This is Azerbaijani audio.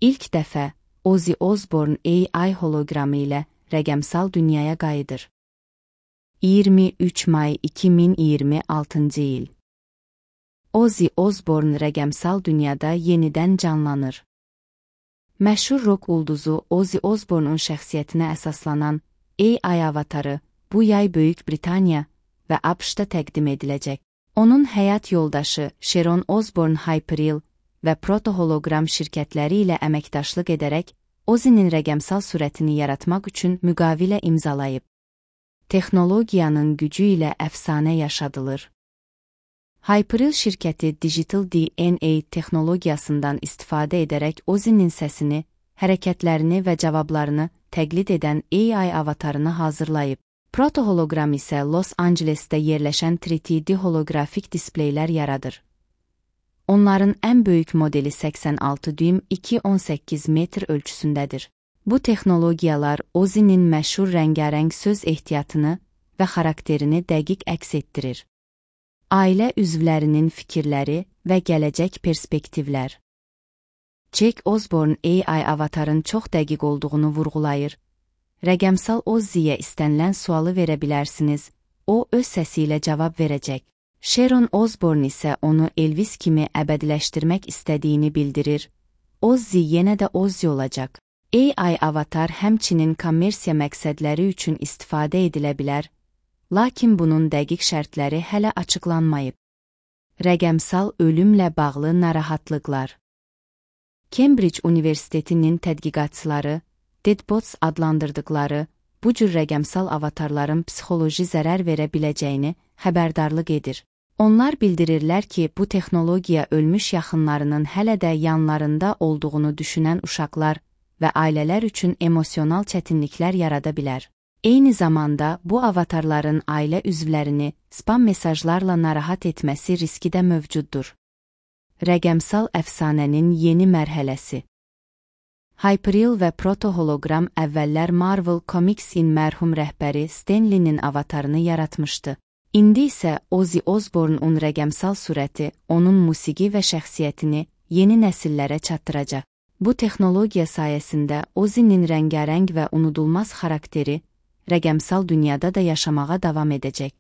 İlk dəfə Ozzy Osbourne AI holoqramı ilə rəqəmsal dünyaya qayıdır. 23 may 2026-cı il. Ozzy Osbourne rəqəmsal dünyada yenidən canlanır. Məşhur rock ulduzu Ozzy Osbourne'un şəxsiyyətinə əsaslanan AI avatarı bu yay Böyük Britaniya və ABŞ-da təqdim ediləcək. Onun həyat yoldaşı Sharon Osbourne Hyperial və Proto-holoqram şirkətləri ilə əməkdaşlıq edərək Ozzy'nin rəqəmsal surətini yaratmaq üçün müqavilə imzalayıb. Texnologiyanın gücü ilə əfsanə yaşadılır. Hyperial şirkəti Digital DNA texnologiyasından istifadə edərək Ozzy'nin səsini, hərəkətlərini və cavablarını təqlid edən AI avatarını hazırlayıb. Proto-holoqram isə Los Angelesdə yerləşən 3D holoqrafik displeylər yaradır. Onların ən böyük modeli 86 düym 2.18 metr ölçüsündədir. Bu texnologiyalar Ozzy'nin məşhur rəngarəng söz ehtiyatını və xarakterini dəqiq əks etdirir. Ailə üzvlərinin fikirləri və gələcək perspektivlər. Jack Osbourne AI avatarın çox dəqiq olduğunu vurğulayır. Rəqəmsal Ozzy'yə istənilən sualı verə bilərsiniz, o öz səsi ilə cavab verəcək. Sharon Osbourne isə onu Elvis kimi əbədiləşdirmək istədiyini bildirir. Ozzy yenə də Ozzy olacaq. AI avatar həmçinin kommersiya məqsədləri üçün istifadə edilə bilər, lakin bunun dəqiq şərtləri hələ açıqlanmayıb. Rəqəmsal ölümlə bağlı narahatlıqlar. Cambridge Universitetinin tədqiqatçıları, Deadbots adlandırdıqları bu cür rəqəmsal avatarların psixoloji zərər verə biləcəyini xəbərdarlıq edir. Onlar bildirirlər ki, bu texnologiya ölmüş yaxınlarının hələ də yanlarında olduğunu düşünən uşaqlar və ailələr üçün emosional çətinliklər yarada bilər. Eyni zamanda bu avatarların ailə üzvlərini spam mesajlarla narahat etməsi riski də mövcuddur. Rəqəmsal əfsanənin yeni mərhələsi. Hyperial və Proto-holoqram əvvəllər Marvel Comics'in mərhum rəhbəri Stan Lee'nin avatarını yaratmışdı. İndi isə Ozzy Osbourne'un rəqəmsal surəti onun musiqi və şəxsiyyətini yeni nəsillərə çatdıracaq. Bu texnologiya sayəsində Ozzy'nin rəngarəng və unudulmaz xarakteri rəqəmsal dünyada da yaşamağa davam edəcək.